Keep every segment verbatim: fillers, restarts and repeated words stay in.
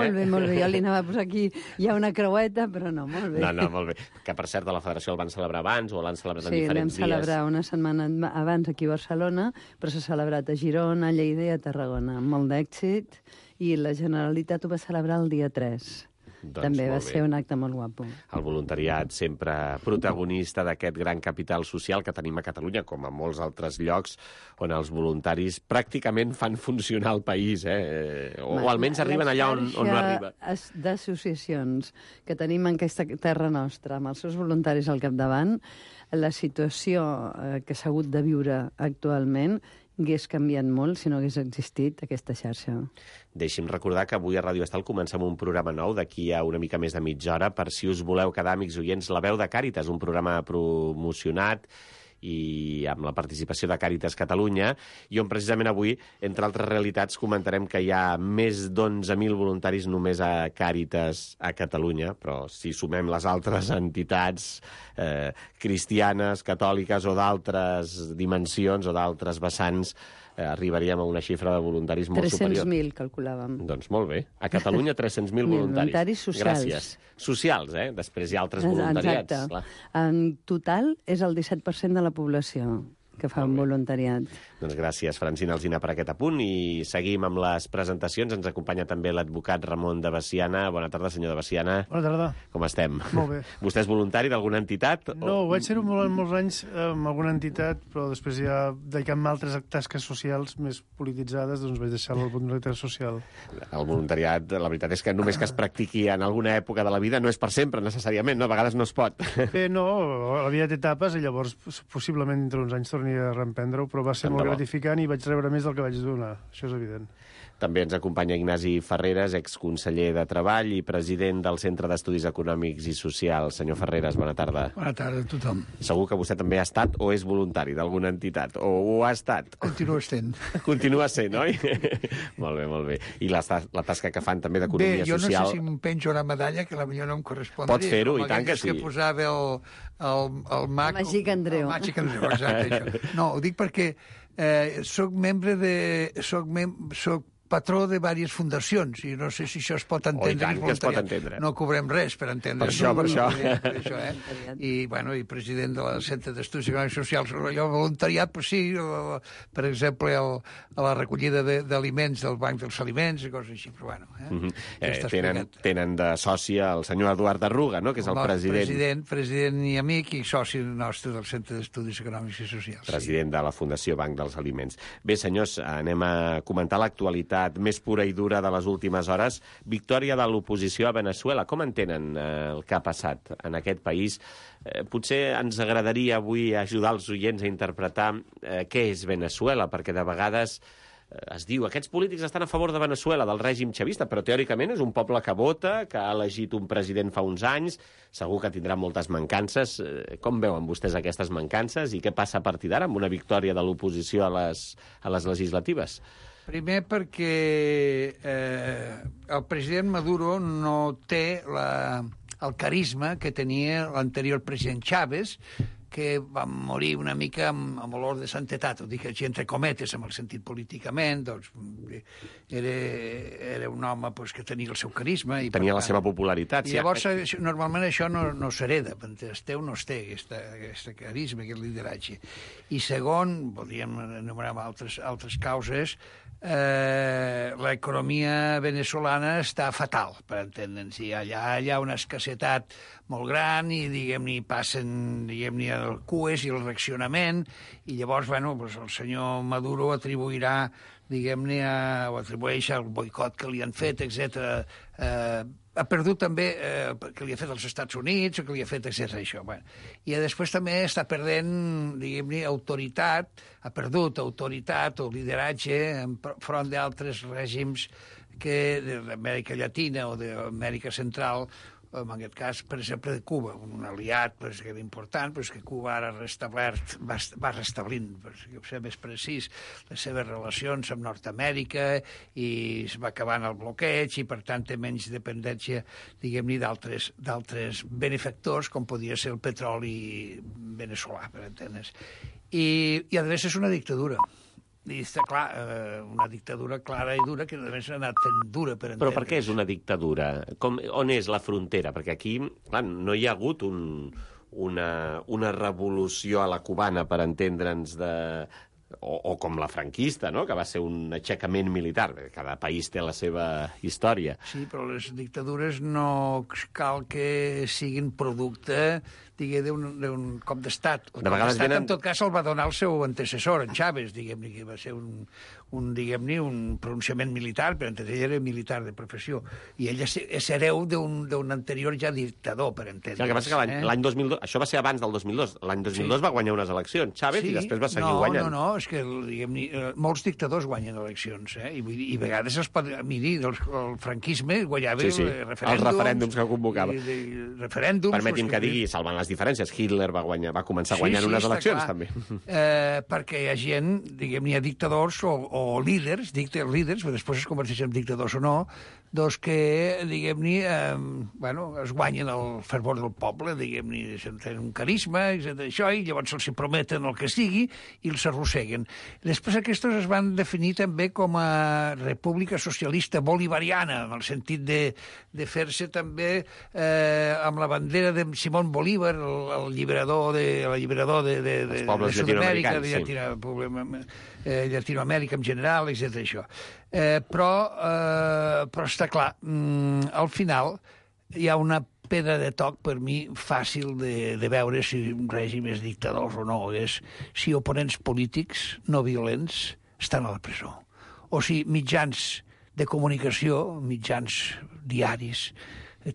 Molt bé, molt bé. Jo li anava a posar aquí, hi ha una creueta, però no, molt bé. No, no, molt bé. Que, per cert, a la Federació el van celebrar abans o l'han celebrat en sí, diferents dies? Sí, l'hem celebrat una setmana abans aquí a Barcelona, però s'ha celebrat a Girona, a Lleida i a Tarragona, amb molt d'èxit, i la Generalitat ho va celebrar el dia tres. Doncs també va bé. ser un acte molt guapo. El voluntariat sempre protagonista d'aquest gran capital social que tenim a Catalunya, com a molts altres llocs on els voluntaris pràcticament fan funcionar el país, eh? o, o almenys arriben allà on, on no arriba. D'associacions que tenim en aquesta terra nostra, amb els seus voluntaris al capdavant, la situació eh, que s'ha hagut de viure actualment hagués canviat molt si no hagués existit aquesta xarxa. Deixi'm recordar que avui a Ràdio Estal comencem un programa nou d'aquí a una mica més de mitja hora per si us voleu quedar, amics oients, La Veu de Càritas, un programa promocionat i amb la participació de Càritas Catalunya, i on precisament avui, entre altres realitats, comentarem que hi ha més d'onze mil voluntaris només a Càritas a Catalunya, però si sumem les altres entitats eh, cristianes, catòliques o d'altres dimensions o d'altres vessants, eh, arribaríem a una xifra de voluntaris molt superior. tres-cents mil, calculàvem. Doncs molt bé. A Catalunya, tres-cents mil voluntaris. Voluntaris socials. Gràcies. Socials, eh? Després hi ha altres voluntariats. Exacte. Clar. En total és el disset per cent de la població que fa un voluntariat. Doncs gràcies, Francina Alsina, per aquest apunt, i seguim amb les presentacions. Ens acompanya també l'advocat Ramon de Baciana. Bona tarda, senyor de Baciana. Bona tarda. Com estem? Molt bé. Vostè és voluntari d'alguna entitat? No, o... vaig ser-ho molt, molts anys amb alguna entitat, però després ja, dedicant-me a altres tasques socials més polititzades, doncs vaig deixar la voluntarietat social. El voluntariat, la veritat és que només que es practiqui en alguna època de la vida no és per sempre, necessàriament, no? A vegades no es pot. Bé, no, la vida té etapes i llavors possiblement entre uns anys torni a reemprendre-ho, però va ser Tant molt de bo. gratificant i vaig rebre més del que vaig donar, això és evident. També ens acompanya Ignasi Ferreres, exconseller de Treball i president del Centre d'Estudis Econòmics i Socials. Senyor Ferreres, bona tarda. Bona tarda a tothom. Segur que vostè també ha estat o és voluntari d'alguna entitat, o ho ha estat. Continua sent. Continua sent, oi? Molt bé, molt bé. I la, la tasca que fan també d'economia social... Bé, jo no sé si em penjo una medalla, que potser no em correspondria. Pot fer-ho, i tant que sí. Que posava el, el, el mag... El Màgic Andreu. El Màgic Andreu, exacte, això. No, ho dic perquè eh, soc membre de... Soc, mem, soc patró de diverses fundacions, i no sé si això es pot entendre. Oh, i tant que es pot entendre. No cobrem res per entendre. Per això, per això. Per això eh? I, bueno, i president de la Centre d'Estudis Econòmics i Socials. Allò voluntariat, però sí, per exemple, el, a la recollida d'aliments del Banc dels Aliments i coses així, però bueno. Eh? Mm -hmm. eh, tenen, tenen de sòcia el senyor Eduard Arruga, no?, que és el, el president. President, president i amic i soci nostre del Centre d'Estudis Econòmics i Socials. President sí. de la Fundació Banc dels Aliments. Bé, senyors, anem a comentar l'actualitat més pura i dura de les últimes hores. Victòria de l'oposició a Veneçuela. Com entenen eh, el que ha passat en aquest país? Eh, potser ens agradaria avui ajudar els oients a interpretar eh, què és Veneçuela, perquè de vegades eh, es diu aquests polítics estan a favor de Veneçuela, del règim xavista, però teòricament és un poble que vota, que ha elegit un president fa uns anys, segur que tindrà moltes mancances. Eh, com veuen vostès aquestes mancances i què passa a partir d'ara amb una victòria de l'oposició a les, a les legislatives? Primer perquè eh, el president Maduro no té la, el carisma que tenia l'anterior president Chávez, que va morir una mica amb, amb olor de santetat, ho dic així entre cometes, amb el sentit políticament, doncs era, era un home pues, que tenia el seu carisma. I tenia tant, la seva popularitat. I llavors, sí. Normalment això no, no s'hereda, es té o no es té, aquest carisma, aquest lideratge. I segon, podríem enumerar altres, altres causes, eh, l'economia venezolana està fatal, per entendre'ns. Allà hi ha una escassetat molt gran i, diguem-ne, passen, diguem-ne, el cues i el reaccionament, i llavors, bueno, pues el senyor Maduro atribuirà, diguem-ne, o atribueix al boicot que li han fet, etcètera. Eh, ha perdut també eh, que li ha fet als Estats Units o que li ha fet, etcètera. Això. Bueno. I després també està perdent, diguem-ne, autoritat, ha perdut autoritat o lideratge enfront d'altres règims que d'Amèrica Llatina o d'Amèrica Central, en aquest cas, per exemple, de Cuba, un aliat pues, que era important, pues, que Cuba ara restablert, va, va restablint, per ser més precís, les seves relacions amb Nord-Amèrica i es va acabant el bloqueig i, per tant, té menys dependència, diguem-ne, d'altres d'altres benefactors, com podia ser el petroli veneçolà, per entendre's. I, i a més, és una dictadura. I està clar, eh, una dictadura clara i dura que a més ha anat fent dura per entendre. Però per què és una dictadura? Com, on és la frontera? Perquè aquí, clar, no hi ha hagut un, una, una revolució a la cubana, per entendre'ns, de... O, o com la franquista, no?, que va ser un aixecament militar. Cada país té la seva història. Sí, però les dictadures no cal que siguin producte, digue, d'un cop d'estat. El De cop vegades d'estat, venen- en tot cas, el va donar el seu antecessor, en Chávez, diguem-ne, que va ser un, un, diguem-ne, un pronunciament militar, però ell era militar de professió. I ell és, és hereu d'un d'un anterior ja dictador, per entendre. Sí, el que passa és que l'any eh? l'any dos mil dos... Això va ser abans del dos mil dos. L'any dos mil dos Sí. va guanyar unes eleccions, Chávez, i després va seguir no, guanyant. No, no, és que, diguem-ne, eh, molts dictadors guanyen eleccions, eh? I, vull dir, i a vegades els pot... Miri, el, el franquisme guanyava Sí, sí, eh, referèndums... els referèndums que convocava. I, i, referèndums... Permeti'm doncs, que digui, salvant les diferències, Hitler va, guanyar, va començar guanyant unes està eleccions, clar. també. Eh, perquè hi ha gent, diguem, hi ha dictadors o, o líders, dicta, líders, però després es converteixen en dictadors o no, doncs que, diguem-ne, eh, bueno, es guanyen el fervor del poble, diguem-ne, tenen un carisma, i això, i llavors se'ls prometen el que sigui i els arrosseguen. Després aquests es van definir també com a república socialista bolivariana, en el sentit de, de fer-se també eh, amb la bandera de Simón Bolívar, el, el lliberador de l'alliberador de, de, de, Els pobles de Sud-amèrica, de llatinoamericans, Llatino, eh, Llatinoamèrica en general, etcètera Això. Eh, però, eh, però està clar, mm, al final hi ha una pedra de toc, per mi, fàcil de, de veure si un règim és dictador o no. És si oponents polítics no violents estan a la presó. O si mitjans de comunicació, mitjans diaris,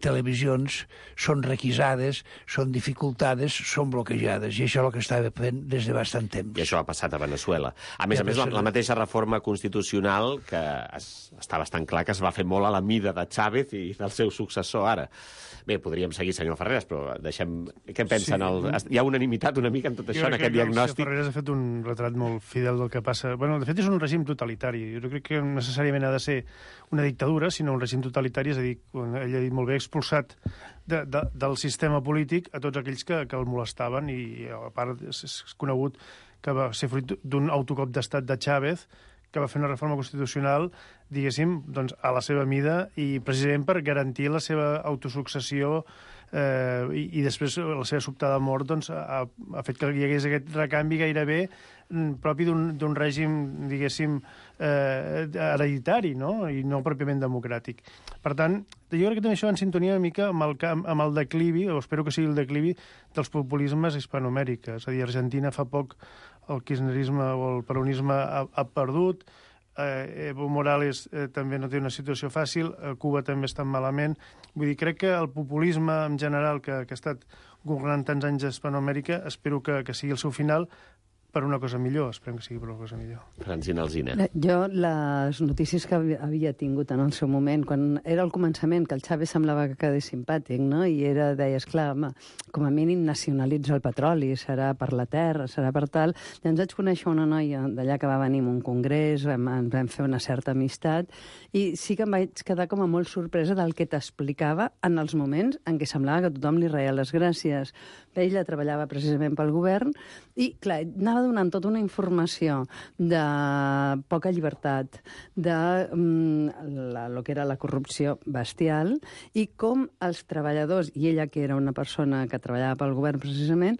televisions, són requisades, són dificultades, són bloquejades. I això és el que estava fent des de bastant temps. I això ha passat a Venezuela. A més Ja a més, la, passa- la mateixa reforma constitucional, que es, està bastant clar que es va fer molt a la mida de Chávez i del seu successor ara. Bé, podríem seguir, senyor Ferreras, però deixem... Què pensen? Sí. El... Hi ha unanimitat una mica en tot això, en aquest que el diagnòstic? senyor Ferreras ha fet un retrat molt fidel del que passa. Bueno, de fet, és un règim totalitari. Jo no crec que necessàriament ha de ser una dictadura, sinó un règim totalitari, és a dir, quan ell ha dit molt bé, expulsat de, de, del sistema polític a tots aquells que, que el molestaven, i a part és, és conegut que va ser fruit d'un autocop d'estat de Chávez, que va fer una reforma constitucional, diguéssim, doncs, a la seva mida i precisament per garantir la seva autosuccessió eh, i, i després la seva sobtada mort doncs, ha, ha fet que hi hagués aquest recanvi gairebé mm, propi d'un règim, diguéssim, eh, hereditari, no? I no pròpiament democràtic. Per tant, jo crec que també això va en sintonia una mica amb el, camp, amb el declivi, o espero que sigui el declivi, dels populismes hispanoamèriques. És a dir, Argentina fa poc el kirchnerisme o el peronisme ha, ha perdut, eh, Evo Morales eh, també no té una situació fàcil, eh, Cuba també està malament. Vull dir, crec que el populisme en general que, que ha estat governant tants anys a Hispanoamèrica, espero que, que sigui el seu final per una cosa millor, esperem que sigui per una cosa millor. Francina Alsina. Jo, les notícies que havia tingut en el seu moment, quan era el començament, que el Chávez semblava que quedés simpàtic, no? I era, deies, clar, home, com a mínim nacionalitza el petroli, serà per la terra, serà per tal. Llavors vaig conèixer una noia d'allà que va venir a un congrés, vam, vam fer una certa amistat, i sí que em vaig quedar com a molt sorpresa del que t'explicava en els moments en què semblava que tothom li reia les gràcies. Ella treballava precisament pel govern i, clar, anava donant tota una informació de poca llibertat, de mm, la, lo que era la corrupció bestial, i com els treballadors, i ella que era una persona que treballava pel govern precisament,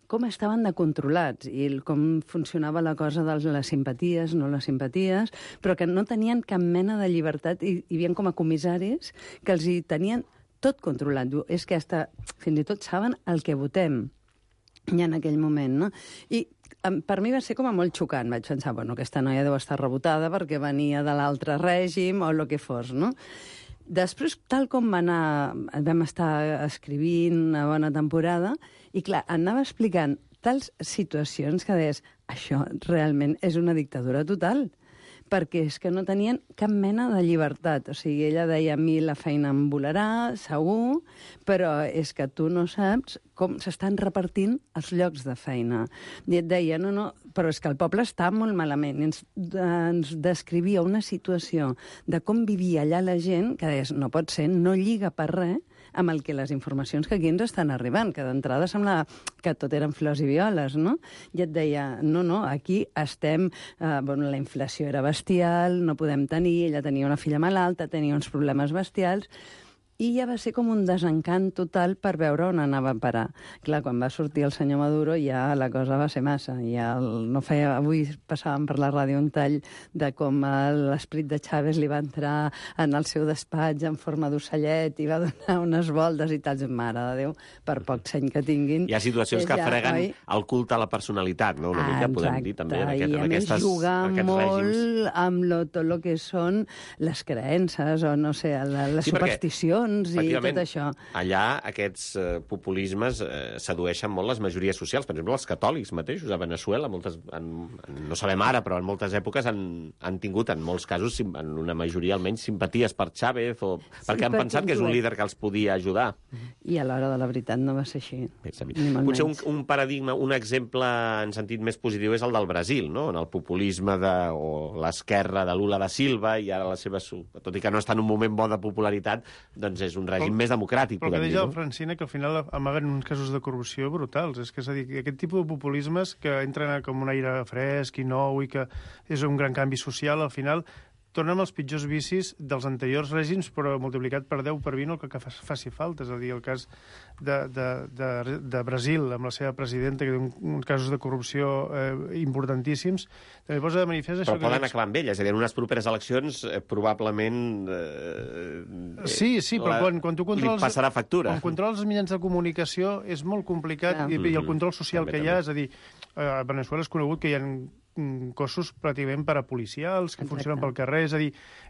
com estaven de controlats i com funcionava la cosa de les simpaties, no les simpaties, però que no tenien cap mena de llibertat i hi havia com a comissaris que els hi tenien tot controlat. Diu, és que hasta, fins i tot saben el que votem ja en aquell moment, no? I per mi va ser com a molt xocant. Vaig pensar, bueno, aquesta noia deu estar rebotada perquè venia de l'altre règim o el que fos, no? Després, tal com va anar, vam estar escrivint una bona temporada, i clar, anava explicant tals situacions que deies, això realment és una dictadura total, perquè és que no tenien cap mena de llibertat. O sigui, ella deia, a mi la feina em volarà, segur, però és que tu no saps com s'estan repartint els llocs de feina. I et deia, no, no, però és que el poble està molt malament. I ens, ens descrivia una situació de com vivia allà la gent, que deies, no pot ser, no lliga per res amb el que les informacions que aquí ens estan arribant, que d'entrada sembla que tot eren flors i violes, no? I et deia, no, no, aquí estem... Eh, bueno, la inflació era bestial, no podem tenir, ella tenia una filla malalta, tenia uns problemes bestials, i ja va ser com un desencant total per veure on anava a parar. Clar, quan va sortir el senyor Maduro ja la cosa va ser massa. Ja el, no feia, avui passàvem per la ràdio un tall de com l'esprit de Chávez li va entrar en el seu despatx en forma d'ocellet i va donar unes voltes i tal. Mare de Déu, per poc seny que tinguin. Hi ha situacions que ja, freguen oi? El culte a la personalitat, no? Una ah, mica, exacte. Podem dir, també, en, aquest, en aquestes, jugar molt règims. Amb lo, tot el que són les creences o, no sé, la, les sí, supersticions i tot això. Allà aquests eh, populismes eh, sedueixen molt les majories socials. Per exemple, els catòlics mateixos a Veneçuela, moltes, en, no sabem ara, però en moltes èpoques han, han tingut, en molts casos, en una majoria almenys, simpaties per Chávez, o, sí, perquè han pensat que és un líder que els podia ajudar. I a l'hora de la veritat no va ser així. Potser un, un paradigma, un exemple en sentit més positiu és el del Brasil, no? En el populisme de, o l'esquerra de Lula da Silva, i ara la seva... Tot i que no està en un moment bo de popularitat, doncs és un règim més democràtic, podem dir. Però que deia no? Francina que al final amaguen uns casos de corrupció brutals. És que, és a dir, aquest tipus de populismes que entren com un aire fresc i nou i que és un gran canvi social, al final tornem als pitjors vicis dels anteriors règims, però multiplicat per deu, per vint, el que faci falta. És a dir, el cas de, de, de, de Brasil, amb la seva presidenta, que té un, uns casos de corrupció eh, importantíssims, també posa de manifest això... Però poden acabar amb ella, és a dir, en unes properes eleccions eh, probablement... Eh, sí, sí, però la, quan, quan tu controles... Li passarà factura. Quan controles els mitjans de comunicació és molt complicat, i, i el control social també, que hi ha, també. És a dir, a Veneçuela és conegut que hi ha cossos pràcticament parapolicials que Exacte. Funcionen pel carrer, és a dir,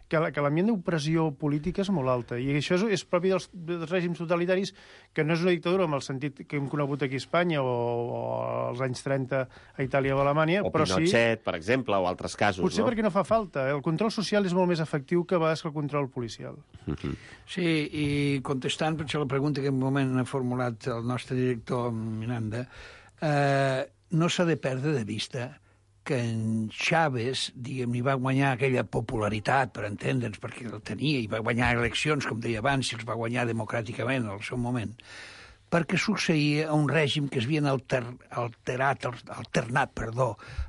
que, que l'ambient d'opressió política és molt alta, i això és, és propi dels, dels règims totalitaris, que no és una dictadura amb el sentit que hem conegut aquí a Espanya o, o als anys trenta a Itàlia o a Alemanya, o però Pinochet, sí, per exemple, o altres casos. Potser no? perquè no fa falta. El control social és molt més efectiu que a vegades que el control policial. Uh-huh. Sí, i contestant per la pregunta que en un moment ha formulat el nostre director Miranda, eh, no s'ha de perdre de vista que en Chávez, diguem, hi va guanyar aquella popularitat, per entendre'ns, perquè el tenia, i va guanyar eleccions, com deia abans, i els va guanyar democràticament al seu moment, perquè succeïa a un règim que es havien alter, alterat, alternat perdó,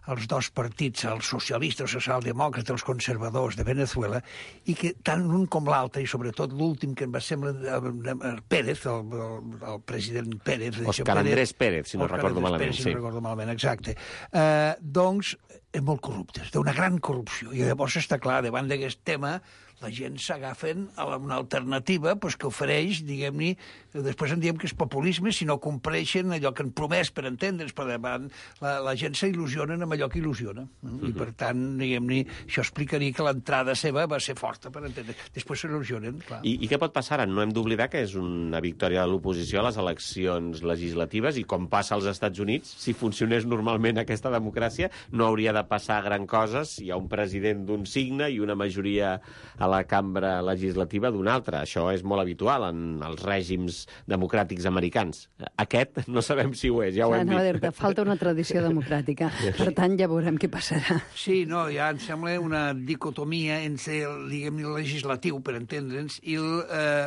els dos partits, els socialistes, els socialdemòcrates, els conservadors de Veneçuela, i que tant l'un com l'altre, i sobretot l'últim que em va semblar el Pérez, el, el, el president Pérez... Òscar Andrés Pérez, si no recordo malament. Pérez, si no recordo malament, exacte. Eh, doncs, és molt corruptes, d'una gran corrupció. I llavors està clar, davant d'aquest tema, la gent s'agafen a una alternativa pues, que ofereix, diguem-ne, després en diem que és populisme, si no compleixen allò que han promès, per entendre's, per davant, la, la gent s'il·lusiona amb allò que il·lusiona. Mm-hmm. I, per tant, diguem-ne, això explicaria que l'entrada seva va ser forta, per entendre's. Després s'il·lusionen, clar. I, I què pot passar ara? No hem d'oblidar que és una victòria de l'oposició a les eleccions legislatives, i com passa als Estats Units, si funcionés normalment aquesta democràcia, no hauria de passar gran coses. Hi ha un president d'un signe i una majoria a la cambra legislativa d'un altre. Això és molt habitual en els règims democràtics americans. Aquest no sabem si ho és, ja ho hem no, dit. Falta una tradició democràtica. Per tant, ja veurem què passarà. Sí, no, ja em sembla una dicotomia entre el, diguem, el legislatiu, per entendre'ns, i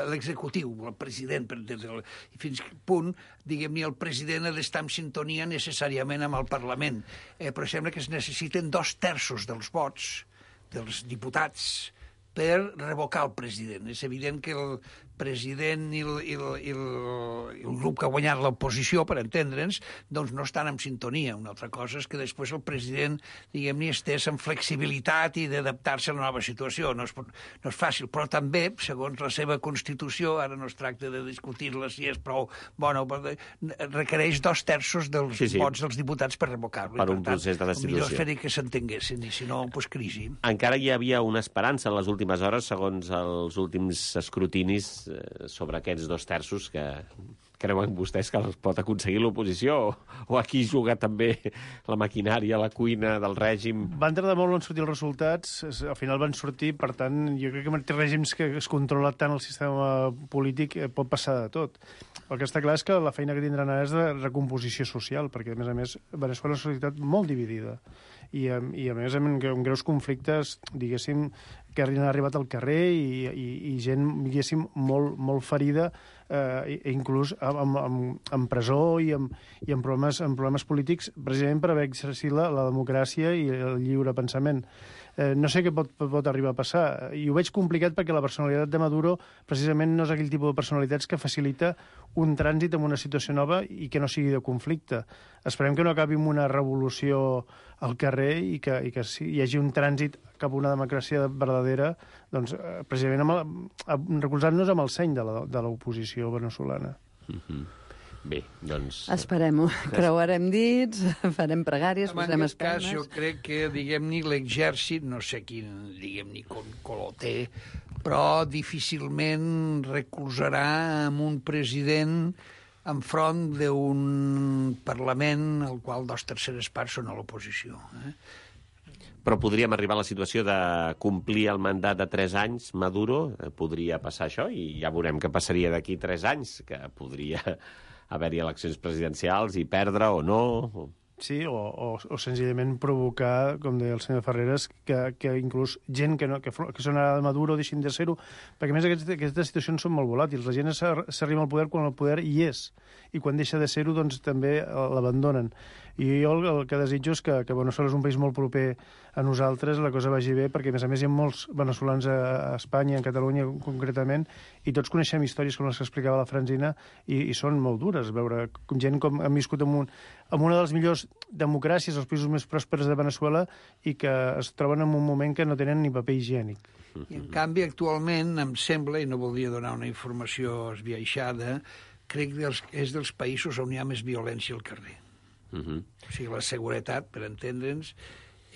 l'executiu, el, el president, per entendre'ns. I fins que punt, diguem-ne, el president ha d'estar en sintonia necessàriament amb el Parlament. Eh, però sembla que es necessiten dos terços dels vots dels diputats per revocar el president. És evident que el president i el, i el, i el, i el grup que ha guanyat l'oposició, per entendre'ns, doncs no estan en sintonia. Una altra cosa és que després el president, diguem-ne, estés amb flexibilitat i d'adaptar-se a la nova situació. No és, no és fàcil, però també, segons la seva Constitució, ara no es tracta de discutir-la si és prou bona o requereix dos terços dels sí, sí. vots dels diputats per revocar-lo. Per un tant, procés de destitució. Millor fer que s'entenguessin, i si no, doncs crisi. Encara hi havia una esperança en les últimes hores, segons els últims escrutinis sobre aquests dos terços que creuen vostès que els pot aconseguir l'oposició, o, o aquí juga també la maquinària, la cuina del règim? Van tardar molt en sortir els resultats, al final van sortir, per tant, jo crec que en règims que es controla tant el sistema polític pot passar de tot. El que està clar és que la feina que tindran ara és de recomposició social, perquè, a més a més, Veneçuela és una societat molt dividida. I, i a més, amb, amb greus conflictes, diguéssim, que han arribat al carrer i, i, i gent, diguéssim, molt, molt ferida, eh, inclús amb, amb, amb presó i amb, i amb, problemes, amb problemes polítics, precisament per haver exercit la, la democràcia i el lliure pensament. Eh, no sé què pot, pot arribar a passar. I ho veig complicat perquè la personalitat de Maduro precisament no és aquell tipus de personalitats que facilita un trànsit en una situació nova i que no sigui de conflicte. Esperem que no acabi amb una revolució al carrer i que, i que sí, hi hagi un trànsit cap a una democràcia verdadera, doncs, eh, precisament amb el, recolzant-nos amb el seny de l'oposició veneçolana. Mm-hmm. Bé, doncs... Esperem-ho. Creuarem dits, farem pregàries, posarem espelmes. En espelmes. aquest cas, jo crec que, diguem-ne, l'exèrcit, no sé quin, diguem-ne, color té, però difícilment recolzarà amb un president enfront d'un Parlament al qual dos terceres parts són a l'oposició. Eh? Però podríem arribar a la situació de complir el mandat de tres anys, Maduro, podria passar això, i ja veurem què passaria d'aquí tres anys, que podria haver-hi eleccions presidencials i perdre o no. Sí, o, o, o senzillament provocar, com deia el senyor Ferreres, que, que inclús gent que, no, que, que són ara de Maduro deixin de ser-ho, perquè a més aquestes, aquestes situacions són molt volàtils. La gent s'arriba al poder quan el poder hi és, i quan deixa de ser-ho doncs també l'abandonen. I jo el, el que desitjo és que, que Veneçuela és un país molt proper a nosaltres, la cosa vagi bé, perquè a més a més hi ha molts veneçolans a, a Espanya, en Catalunya concretament, i tots coneixem històries com les que explicava la Francina, i, i són molt dures, veure com gent com han viscut en, un, en una de les millors democràcies, els països més pròspers de Veneçuela, i que es troben en un moment que no tenen ni paper higiènic. I en canvi, actualment, em sembla, i no voldria donar una informació esbiaixada, crec que és dels països on hi ha més violència al carrer. Uh-huh. O sigui, la seguretat, per entendre'ns,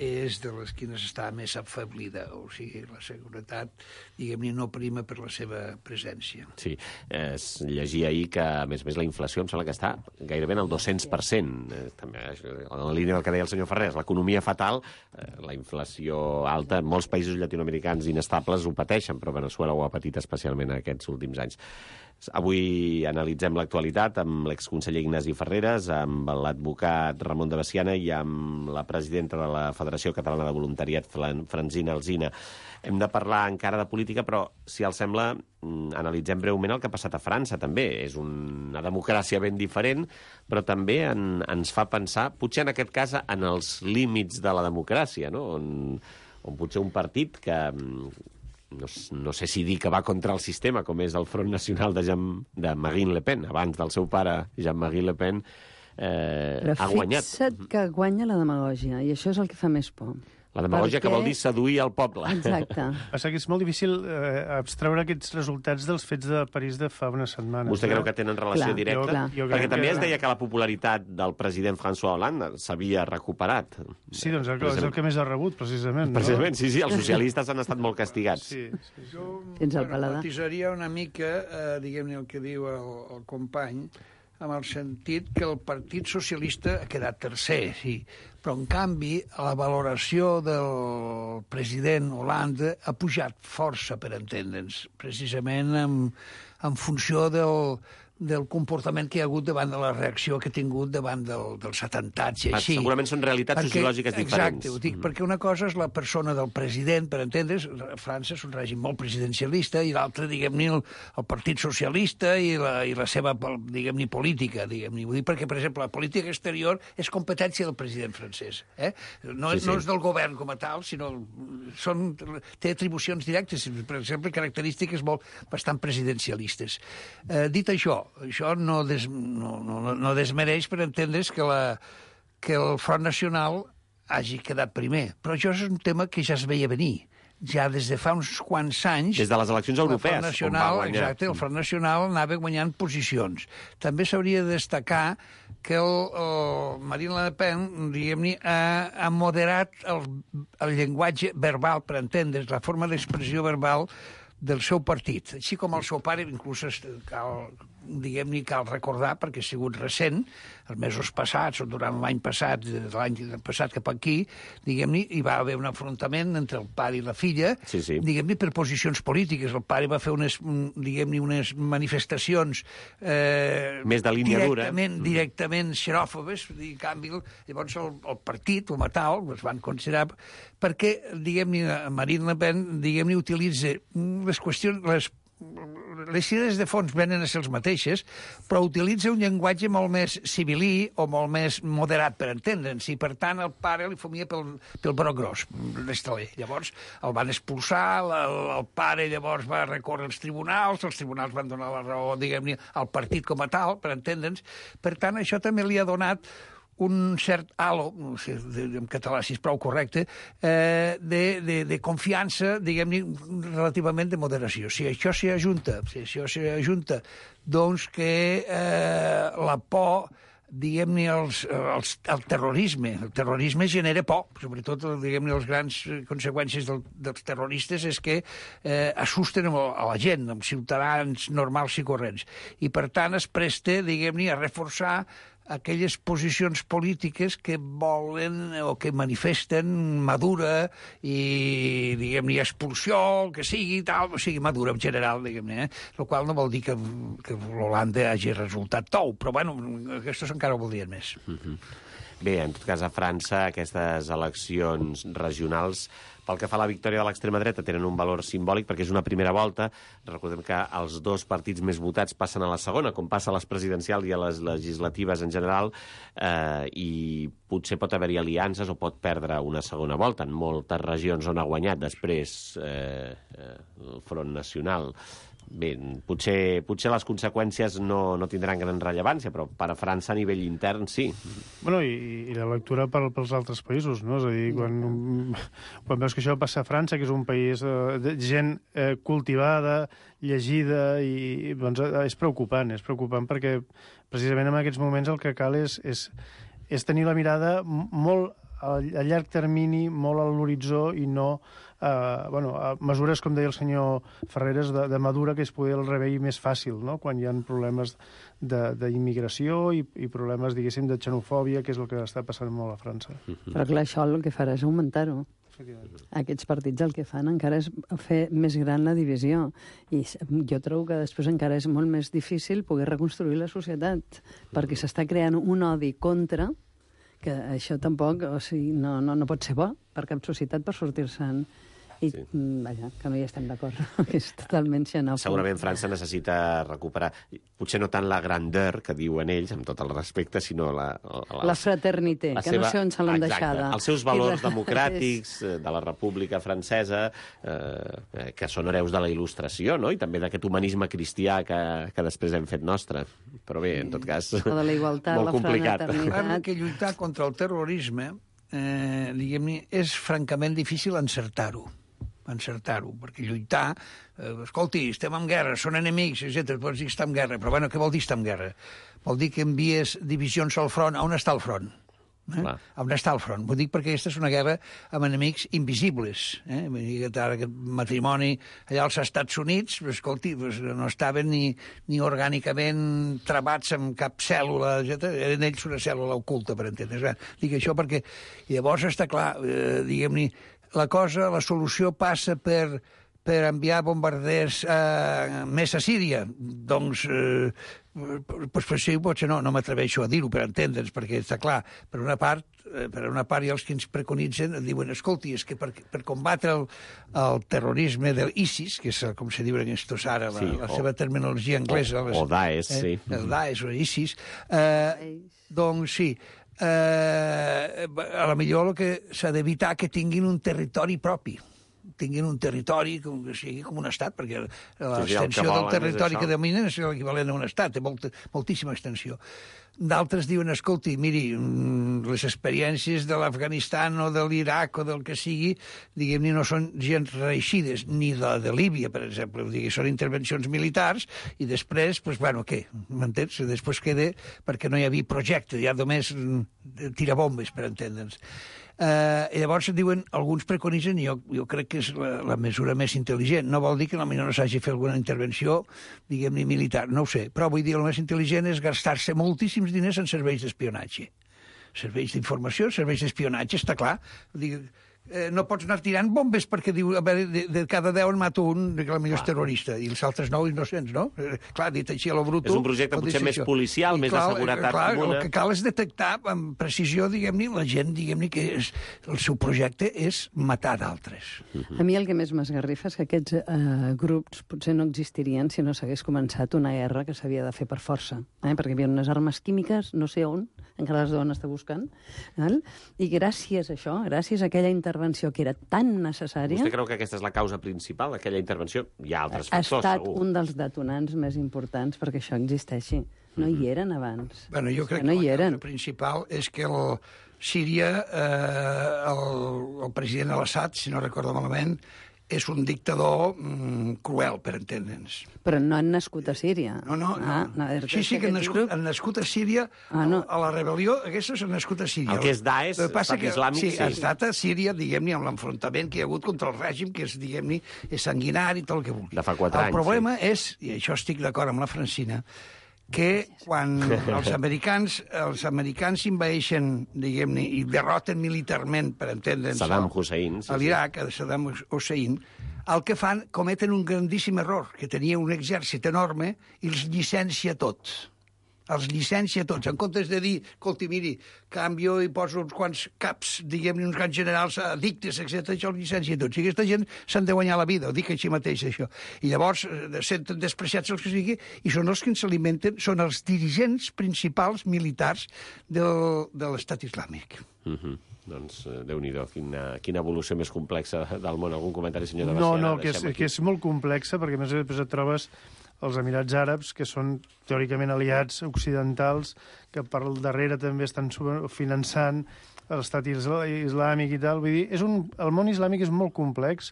és de les quines està més afeblida. O sigui, la seguretat, diguem-ne, no prima per la seva presència. Sí, es llegia ahir que, a més a més, la inflació em sembla que està gairebé en el dos-cents per cent. Eh, també, en la línia del que deia el senyor Ferrés, l'economia fatal, eh, la inflació alta, molts països llatinoamericans inestables ho pateixen, però Veneçuela ho ha patit especialment aquests últims anys. Avui analitzem l'actualitat amb l'exconseller Ignasi Ferreres, amb l'advocat Ramon de Veciana i amb la presidenta de la Federació Catalana de Voluntariat, Francina Alsina. Hem de parlar encara de política, però, si els sembla, analitzem breument el que ha passat a França, també. És una democràcia ben diferent, però també en, ens fa pensar, potser en aquest cas, en els límits de la democràcia, no? on, on potser un partit que... No, no sé si dir que va contra el sistema, com és el Front Nacional de, Jean, de Marine Le Pen, abans del seu pare, Jean-Marie Le Pen, eh, ha guanyat. Però fixa't que guanya la demagògia, i això és el que fa més por. La demagògia Perquè... que vol dir seduir el poble. Exacte. Passa que és molt difícil eh, abstreure aquests resultats dels fets de París de fa unes setmanes. Vostè creu que tenen relació clar, directa? clar. Jo, jo Perquè també que... es deia que la popularitat del president François Hollande s'havia recuperat. Sí, doncs el, és el que més ha rebut, precisament. Precisament, no? sí, sí, els socialistes han estat molt castigats. Sí, sí. Jo Tens el paladar. matisaria una mica, eh, diguem-ne, el que diu el, el company, amb el sentit que el Partit Socialista ha quedat tercer, sí, però en canvi la valoració del president Hollande ha pujat força, per entendre'ns, precisament en, en funció del, del comportament que hi ha hagut davant de la reacció que ha tingut davant del, dels atemptats i així. Segurament són realitats perquè, sociològiques diferents. Exacte, ho dic, mm. perquè una cosa és la persona del president, per entendre's, França és un règim molt presidencialista, i l'altre, diguem-ne, el, el Partit Socialista i la, i la seva, diguem-ne, política, diguem-ne. Ho dic perquè, per exemple, la política exterior és competència del president francès. Eh? No, sí, sí. no és del govern com a tal, sinó són, té atribucions directes, per exemple, característiques molt bastant presidencialistes. Eh, dit això, això no, des, no, no, no desmereix per entendre's que, la, que el Front Nacional hagi quedat primer. Però això és un tema que ja es veia venir. Ja des de fa uns quants anys... Des de les eleccions europees, el Front Nacional, on va guanyar. exacte, el Front Nacional anava guanyant posicions. També s'hauria de destacar que el, el Marine Le Pen, diguem-ne, ha, ha moderat el, el llenguatge verbal, per entendre's, la forma d'expressió verbal del seu partit, així com el seu pare, inclús cal diguem-ne, cal recordar, perquè ha sigut recent, els mesos passats, o durant l'any passat, l'any passat cap aquí, diguem-ne, hi va haver un enfrontament entre el pare i la filla, sí, sí. diguem-ne, per posicions polítiques. El pare va fer unes, diguem-ne, unes manifestacions eh, més de línia directament, dura. directament xeròfobes, i en canvi, llavors el, el partit, com a tal, es van considerar, perquè, diguem-ne, Marine Le Pen, diguem-ne, utilitza les qüestions, les les idees de fons venen a ser les mateixes, però utilitza un llenguatge molt més civilí o molt més moderat per entendre'ns, i per tant el pare li fomia pel, pel broc gros, l'estaler. Llavors el van expulsar, el, el pare llavors va recórrer als tribunals, els tribunals van donar la raó, diguem-ne, al partit com a tal, per entendre'ns. Per tant, això també li ha donat un cert halo, no sé, en català si és prou correcte, eh, de, de, de confiança, diguem-ne, relativament de moderació. Si això s'hi ajunta, si això s'hi ajunta, doncs que eh, la por, diguem-ne, els, els, el terrorisme. El terrorisme genera por, sobretot, diguem-ne, les grans conseqüències del, dels terroristes és que eh, assusten a la gent, amb ciutadans normals i corrents. I, per tant, es presta, diguem-ne, a reforçar aquelles posicions polítiques que volen o que manifesten madura i, diguem-ne, expulsió, el que sigui, tal, o sigui, madura en general, diguem-ne, eh? El qual no vol dir que, que l'Holanda hagi resultat tou, però, bueno, aquests encara ho voldrien més. Mm-hmm. Bé, en tot cas, a França, aquestes eleccions regionals, pel que fa a la victòria de l'extrema dreta, tenen un valor simbòlic perquè és una primera volta. Recordem que els dos partits més votats passen a la segona, com passa a les presidencials i a les legislatives en general, eh, i potser pot haver-hi aliances o pot perdre una segona volta. En moltes regions on ha guanyat després eh, eh, el Front Nacional. Bé, potser, potser les conseqüències no, no tindran gran rellevància, però per a França a nivell intern sí. Bueno, i, i la lectura per, pels altres països, no? És a dir, quan, quan veus que això passa a França, que és un país eh, de gent eh, cultivada, llegida, i doncs, és preocupant, és preocupant perquè precisament en aquests moments el que cal és, és, és tenir la mirada molt a, a llarg termini, molt a l'horitzó i no Uh, bueno, uh, mesures, com deia el senyor Ferreres, de, de madura, que es pugui el rebei més fàcil, no? Quan hi ha problemes d'immigració i, i problemes, diguéssim, de xenofòbia, que és el que està passant molt a França. Però clar, això el que farà és augmentar-ho. Aquests partits el que fan encara és fer més gran la divisió. I jo trobo que després encara és molt més difícil poder reconstruir la societat, perquè s'està creant un odi contra, que això tampoc, o sigui, no, no, no pot ser bo per cap societat per sortir-se'n. I, sí. Vaja, que no hi estem d'acord, que és totalment xenòfob. Segurament França necessita recuperar, potser no tant la grandeur que diuen ells, amb tot el respecte, sinó la... La, la fraternité, la que seva... no sé on se l'han deixada. Els seus valors democràtics de la República Francesa, eh, que són hereus de la Il·lustració, no? I també d'aquest humanisme cristià que, que després hem fet nostre. Però bé, en tot cas, de la igualtat, molt la complicat. Clar que lluitar contra el terrorisme, eh, diguem-ne, és francament difícil encertar-ho. encertar-ho, perquè lluitar, eh, escolti, estem en guerra, són enemics, etcètera. Pots dir que està en guerra, però bueno, què vol dir estar en guerra? Vol dir que envies divisions al front. On està el front? Eh? On està el front? Vull dir perquè aquesta és una guerra amb enemics invisibles. Eh? Vull dir que ara aquest matrimoni allà als Estats Units, escolti, no estaven ni, ni orgànicament travats amb cap cèl·lula, etcètera. Eren ells una cèl·lula oculta, per entendre's. Dic això perquè llavors està clar, eh, diguem-ne, la cosa, la solució passa per, per enviar bombarders eh, més a Síria. Doncs, eh, pues, pues sí, potser no, no m'atreveixo a dir-ho per entendre'ns, perquè està clar, per una part, eh, per una part hi ha els que ens preconitzen, diuen, escolti, és que per, per combatre el, el terrorisme del ISIS, que és com se diu en estos ara, la, sí, la o, seva terminologia anglesa. O, les, o Daesh, eh, sí. El Daesh o ISIS. Eh, doncs sí, Eh, a la millor el que s'ha d'evitar que tinguin un territori propi, tinguin un territori com que sigui com un estat, perquè l'extensió sí, sí, del territori que dominen és l'equivalent a un estat, té molta, moltíssima extensió. D'altres diuen, escolti, miri, les experiències de l'Afganistan o de l'Iraq o del que sigui, diguem-ne, no són gens reeixides, ni la de Líbia, per exemple. Vull dir, són intervencions militars i després, doncs, bueno, què? M'entens? Després queda perquè no hi havia projecte, ja només tirabombes, per entendre'ns. Eh, I llavors diuen, alguns preconitzen, i jo, jo crec que és la, la mesura més intel·ligent. No vol dir que potser no s'hagi fet alguna intervenció, diguem-ne, militar, no ho sé. Però vull dir, el més intel·ligent és gastar-se moltíssims diners en serveis d'espionatge. Serveis d'informació, serveis d'espionatge, està clar. Vull dir, eh, no pots anar tirant bombes perquè diu, a veure, de, de cada deu en mato un, que potser és terrorista, i els altres nou innocents, no? Eh, clar, dit així a lo bruto... És un projecte potser més policial, I més clar, de seguretat clar, comuna. El que cal és detectar amb precisió, diguem-ne, la gent, diguem-ne, que és, el seu projecte és matar d'altres. A mi el que més m'esgarrifa és que aquests eh, grups potser no existirien si no s'hagués començat una guerra que s'havia de fer per força, eh? Perquè hi havia unes armes químiques, no sé on, encara les deuen estar buscant, eh? I gràcies a això, gràcies a aquella intervenció que era tan necessària... Vostè creu que aquesta és la causa principal d'aquella intervenció? Hi ha altres ha factors, estat segur. un dels detonants més importants perquè això existeixi. No hi eren abans. Bueno, jo crec no que hi la eren. causa principal és que el Síria, eh, el, el president al-Assad, si no recordo malament, és un dictador mm, cruel, per entendre'ns. Però no han nascut a Síria. No, no, ah, no. no sí, sí que han nascut, han nascut a Síria, ah, no. a la rebel·lió, aquests han nascut a Síria. El que és Daesh, Estat Islàmic, sí. sí. Ha estat a Síria, diguem-ne, amb l'enfrontament que hi ha hagut contra el règim, que és, diguem-ne, és sanguinari i tot el que vulgui. De fa quatre anys. El problema sí. és, i això estic d'acord amb la Francina, que quan els americans els americans invadeixen, diguem-ne, i derroten militarment, per entendre'ns, Saddam Hussein, sí, a l'Iraq, a Saddam Hussein, el que fan, cometen un grandíssim error, que tenia un exèrcit enorme i els llicencia tots. Els llicencia tots, en comptes de dir, escolti, miri, canvio i poso uns quants caps, diguem-ne, uns quants generals addictes, etcètera, això els llicencia tots. I aquesta gent s'han de guanyar la vida, ho dic així mateix, això. I llavors senten despreciats els que sigui, i són els que s'alimenten, són els dirigents principals militars del, de l'estat islàmic. Mhm. Doncs, eh, Déu-n'hi-do, quina, quina evolució més complexa del món. Algun comentari, senyor de No, Baciana? no, que és, que és molt complexa, perquè a més a més et trobes els Emirats Àrabs, que són teòricament aliats occidentals, que per darrere també estan finançant l'estat islàmic i tal. Vull dir, és un, el món islàmic és molt complex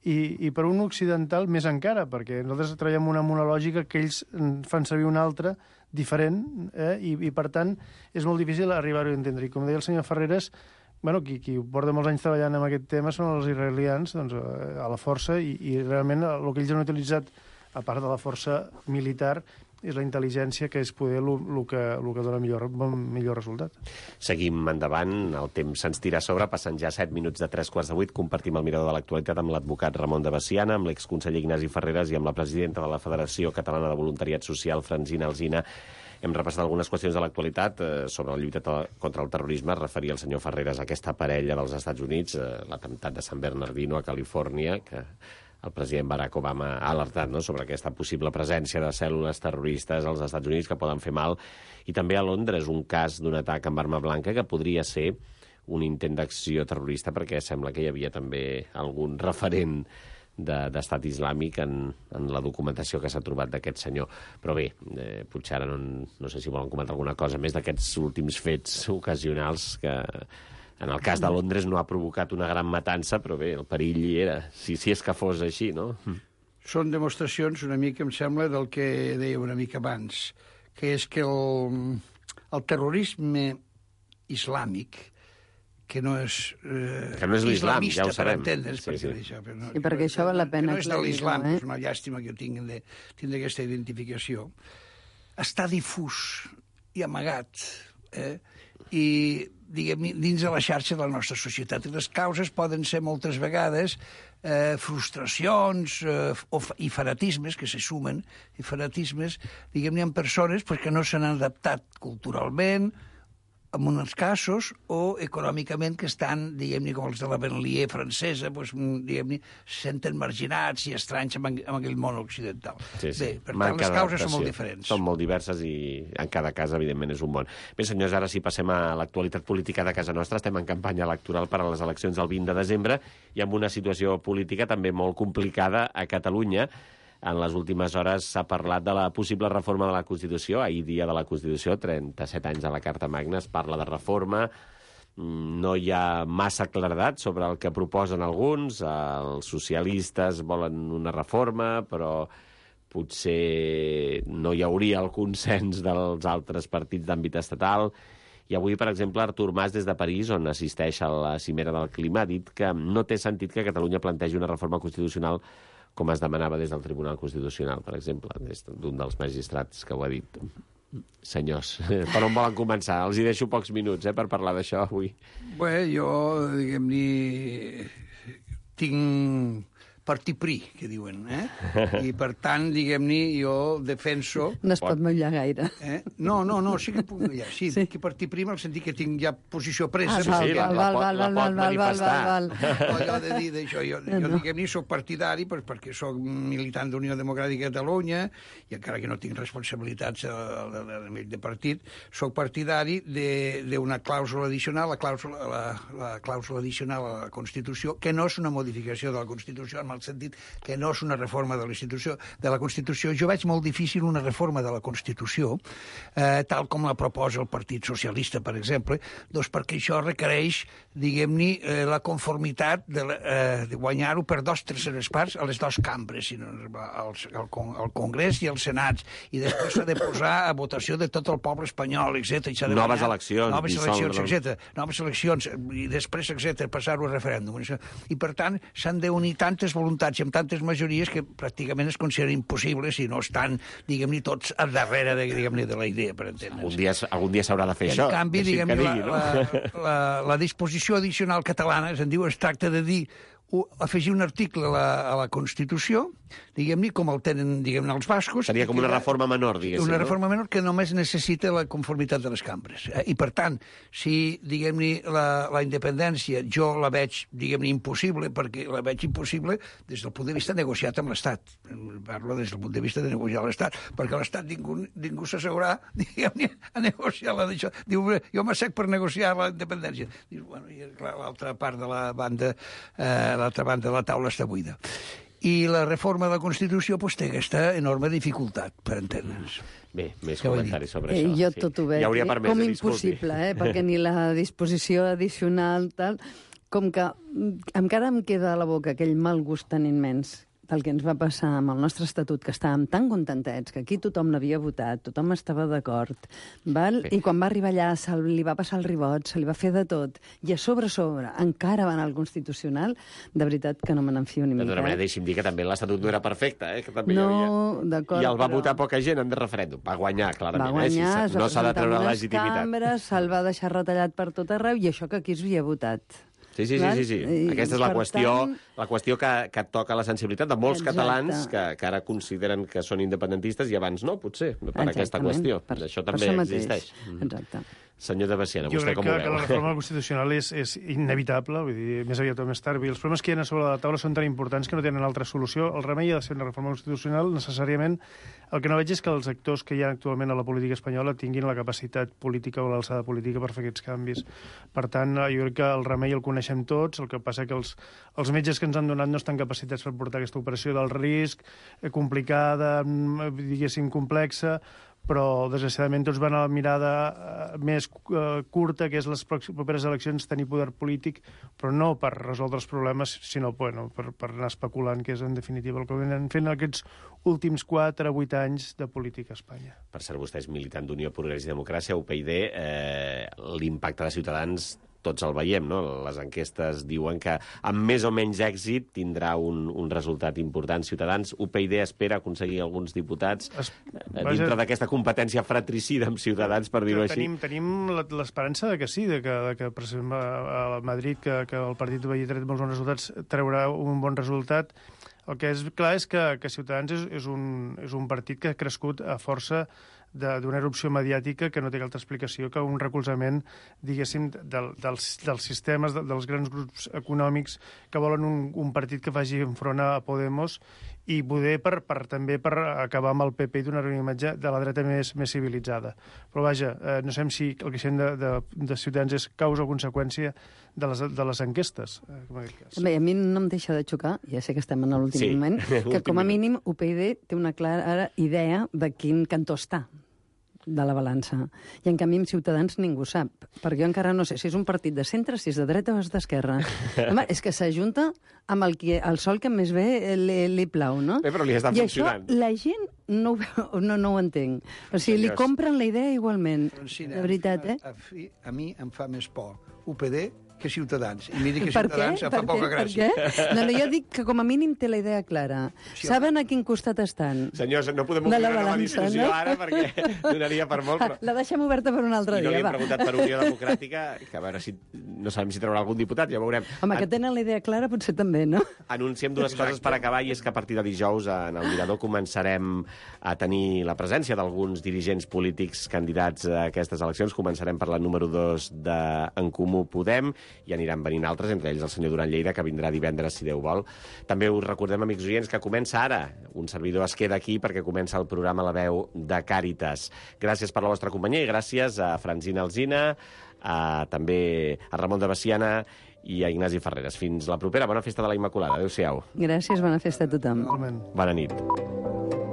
i, i per un occidental més encara, perquè nosaltres treballem una, una lògica que ells fan servir una altra, diferent, eh? I, i per tant és molt difícil arribar-ho a entendre. I com deia el senyor Ferreres, bueno, qui, qui porta molts anys treballant en aquest tema són els israelians, doncs, a la força, i, i realment el que ells han utilitzat, a part de la força militar, és la intel·ligència, que és poder el que, que dona millor, millor resultat. Seguim endavant, el temps se'ns tira a sobre, passant ja set minuts de tres quarts de vuit, compartim el mirador de l'actualitat amb l'advocat Ramon de Baciana, amb l'exconseller Ignasi Ferreres i amb la presidenta de la Federació Catalana de Voluntariat Social, Francina Alsina. Hem repassat algunes qüestions de l'actualitat eh, sobre la lluita contra el terrorisme. Es referia el senyor Ferreres a aquesta parella dels Estats Units, eh, l'atemptat de San Bernardino a Califòrnia, que el president Barack Obama ha alertat, no?, sobre aquesta possible presència de cèl·lules terroristes als Estats Units que poden fer mal. I també a Londres un cas d'un atac amb arma blanca que podria ser un intent d'acció terrorista, perquè sembla que hi havia també algun referent d'estat islàmic en, en la documentació que s'ha trobat d'aquest senyor. Però bé, eh, potser ara no, no sé si volen comentar alguna cosa més d'aquests últims fets ocasionals que en el cas de Londres no ha provocat una gran matança, però bé, el perill hi era, si, si és que fos així, no? Són demostracions una mica, em sembla, del que deia una mica abans, que és que el, el terrorisme islàmic, que no és, eh, que no és l'islam, ja ho sabem. Per entendre's, sí, sí. Això, però no, I perquè això val la pena no és de l'islam, eh? és una llàstima que jo tingui de, tingui aquesta identificació. Està difús i amagat, eh? I, diguem, dins de la xarxa de la nostra societat. I les causes poden ser moltes vegades eh, frustracions eh, o, i fanatismes que se sumen, i fanatismes, diguem-ne, en persones pues, que no s'han adaptat culturalment, en uns casos, o econòmicament, que estan, diguem-ne, com els de la banlieue francesa, doncs, diguem-ne, se senten marginats i estranys amb, amb aquell món occidental. Sí, sí. Bé, per Manca tant, les causes són molt d'adaptació. diferents. Són molt diverses i en cada cas, evidentment, és un món. Bé, senyors, ara sí passem a l'actualitat política de casa nostra. Estem en campanya electoral per a les eleccions del vint de desembre i amb una situació política també molt complicada a Catalunya. En les últimes hores s'ha parlat de la possible reforma de la Constitució. Ahir, dia de la Constitució, trenta-set anys de la Carta Magna, es parla de reforma. No hi ha massa claredat sobre el que proposen alguns. Els socialistes volen una reforma, però potser no hi hauria el consens dels altres partits d'àmbit estatal. I avui, per exemple, Artur Mas, des de París, on assisteix a la cimera del clima, ha dit que no té sentit que Catalunya plantegi una reforma constitucional com es demanava des del Tribunal Constitucional, per exemple, des d'un dels magistrats que ho ha dit. Senyors, per on volen començar? Els hi deixo pocs minuts eh, per parlar d'això avui. Bé, jo, diguem-ne, tinc partit prí, que diuen, eh? I, per tant, diguem-ne, jo defenso... No es pot mullar gaire. Eh? No, no, no, sí que puc mullar. Sí, sí. Que partit prí en el sentit que tinc ja posició presa. Ah, val, sí, val, la val, pot- val, la val, pot val, val, val, manifestar. val, val. No, jo he de dir d'això. Jo, jo No. diguem-ne, soc partidari pues, perquè soc militant d'Unió Democràtica de Catalunya i encara que no tinc responsabilitats a, a, a nivell de partit, soc partidari d'una clàusula addicional, la clàusula, la, la clàusula addicional a la Constitució, que no és una modificació de la Constitució, en el sentit que no és una reforma de la Constitució. De la Constitució. Jo veig molt difícil una reforma de la Constitució, eh, tal com la proposa el Partit Socialista, per exemple, doncs perquè això requereix, diguem-ne, eh, la conformitat de, la, eh, de guanyar-ho per dos terceres parts a les dues cambres, sinó al, al, al Congrés i als Senats, i després s'ha de posar a votació de tot el poble espanyol, etcètera. Noves eleccions. Noves dissoldre- eleccions, etcètera. Noves eleccions, i després, etcètera, passar-ho a referèndum. I, per tant, s'han d'unir tantes voluntats i amb tantes majories que pràcticament es considera impossible si no estan, diguem-ne, tots al darrere de, diguem-ne, de la idea, per entendre'ns. Algun dia, algun dia s'haurà de fer I, això. en canvi, deixi'm diguem-ne, que la, digui, no? la, la, la disposició addicional catalana, es diu, es tracta de dir u- afegir un article a la, a la Constitució, diguem-ne, com el tenen, diguem-ne, els bascos. Seria com una que- reforma menor, diguéssim. Una no? reforma menor que només necessita la conformitat de les cambres. Eh? I, per tant, si, diguem-ne, la, la independència jo la veig, diguem-ne, impossible, perquè la veig impossible des del punt de vista negociat amb l'Estat. Parlo des del punt de vista de negociar amb l'Estat, perquè l'Estat ningú, ningú s'assegurarà, diguem-ne, a negociar la d'això. Diu, jo m'assec per negociar la independència. Dius, bueno, i clar, l'altra part de la banda, eh, l'altra banda de la taula està buida. I la reforma de la Constitució pues, té aquesta enorme dificultat, per entendre'ns. Bé, més Què vol dir? comentaris sobre Eh, això. jo sí. tot ho veig Hi hauria eh, permès, com eh, disculpi. impossible, eh, perquè ni la disposició addicional, tal, com que mm, encara em queda a la boca aquell mal gust tan immens del que ens va passar amb el nostre estatut, que estàvem tan contentets, que aquí tothom l'havia votat, tothom estava d'acord, val? Sí. I quan va arribar allà se li va passar el ribot, se li va fer de tot, i a sobre, a sobre, encara va anar al Constitucional, de veritat que no me n'enfio ni De mica. tota manera, eh? deixi'm dir que també l'Estatut no era perfecte, eh? Que també hi No, havia... d'acord, I el va però- votar poca gent en de referèndum. Va guanyar, clarament. Va guanyar, eh? es Si va no s'ha de presentar treure en unes legitimitat. cambres, se'l va deixar retallat per tot arreu, i això que aquí es havia votat. Sí, sí, sí, Val? sí, sí. I, Aquesta és la per qüestió, tant, la qüestió que, que toca la sensibilitat de molts Exacte. catalans que, que ara consideren que són independentistes i abans no, potser, per aquesta exactament, qüestió. per- Això per també això mateix. existeix. Mhm. Exacte. Senyor de Baciana, Jo vostè crec com que, ho que la veu? reforma constitucional és, és inevitable, vull dir, més aviat o més tard. Vull dir, els problemes que hi ha sobre la taula són tan importants que no tenen altra solució. El remei ha de ser una reforma constitucional, necessàriament. El que no veig és que els actors que hi ha actualment a la política espanyola tinguin la capacitat política o l'alçada política per fer aquests canvis. Per tant, jo crec que el remei el coneixem tots, el que passa que els, els metges que ens han donat no estan capacitats per portar aquesta operació del risc, eh, complicada, mm, diguéssim, complexa, però desgraciadament tots van a la mirada eh, més eh, curta, que és les pròximes properes eleccions, tenir poder polític, però no per resoldre els problemes, sinó bueno, per, per anar especulant, que és en definitiva el que venen fent aquests últims quatre a vuit anys de política a Espanya. Per cert, vostè és militant d'Unió, Progrés i Democràcia, U P I D, eh, l'impacte de Ciutadans tots el veiem, no? Les enquestes diuen que amb més o menys èxit tindrà un, un resultat important. Ciutadans, U P I D espera aconseguir alguns diputats Es, eh, dintre d'aquesta competència fratricida amb Ciutadans, per dir-ho així. Tenim, tenim la- l'esperança de que sí, de que, de que per exemple, a Madrid, que, que el partit havia tret molts bons resultats, treurà un bon resultat. El que és clar és que, que Ciutadans és, és, un, és un partit que ha crescut a força d'una erupció mediàtica que no té altra explicació que un recolzament, diguéssim, del, dels, dels sistemes, de, dels grans grups econòmics que volen un, un partit que faci enfront a Podemos i poder per, per, també per acabar amb el P P i donar una imatge de la dreta més, més civilitzada. Però vaja, eh, no sabem si el que sent de, de, de Ciutadans és causa o conseqüència de les, de les enquestes, eh, en aquest cas. Bé, a mi no em deixa de xocar, ja sé que estem en l'últim Sí, moment, que l'últim com a minut. mínim U P I D té una clara idea de quin cantó està. de la balança. I, en canvi, amb Ciutadans ningú sap. Perquè jo encara no sé si és un partit de centre, si és de dreta o és d'esquerra. Home, és que s'ajunta amb el, que, el sol que més bé li, li plau, no? Bé, però li està I funcionant. això la gent no, ho veu- no, no ho entenc. O sigui, li Senyors. compren la idea igualment. Francina, De veritat, eh? A, a, fi- a mi em fa més por U P D que Ciutadans. I mira que Per què? Ciutadans em Per fa poca què? Per gràcia. què? No, no, jo dic que com a mínim té la idea clara. Sí, Saben a quin costat estan. Senyors, no podem De obrir la una nova balança, discussió no? ara perquè donaria per molt, però... La deixem oberta per un altre I no li dia, hem va. preguntat per Unió Democràtica, que a veure si... No sabem si traurà algun diputat, ja veurem. Home, que tenen la idea clara potser també, no? Anunciem dues coses per acabar, i és que a partir de dijous en el Mirador començarem a tenir la presència d'alguns dirigents polítics candidats a aquestes eleccions. Començarem per la número dos de En Comú Podem, i aniran venint altres, entre ells el senyor Duran Lleida, que vindrà divendres, si Déu vol. També us recordem, amics oients, que comença ara. Un servidor es queda aquí perquè comença el programa La Veu de Càritas. Gràcies per la vostra companyia i gràcies a Francina Alsina, a, també a Ramon de Baciana i a Ignasi Ferreres. Fins la propera. Bona festa de la Immaculada. Adéu-siau. Gràcies, bona festa a tothom. Realment. Bona nit.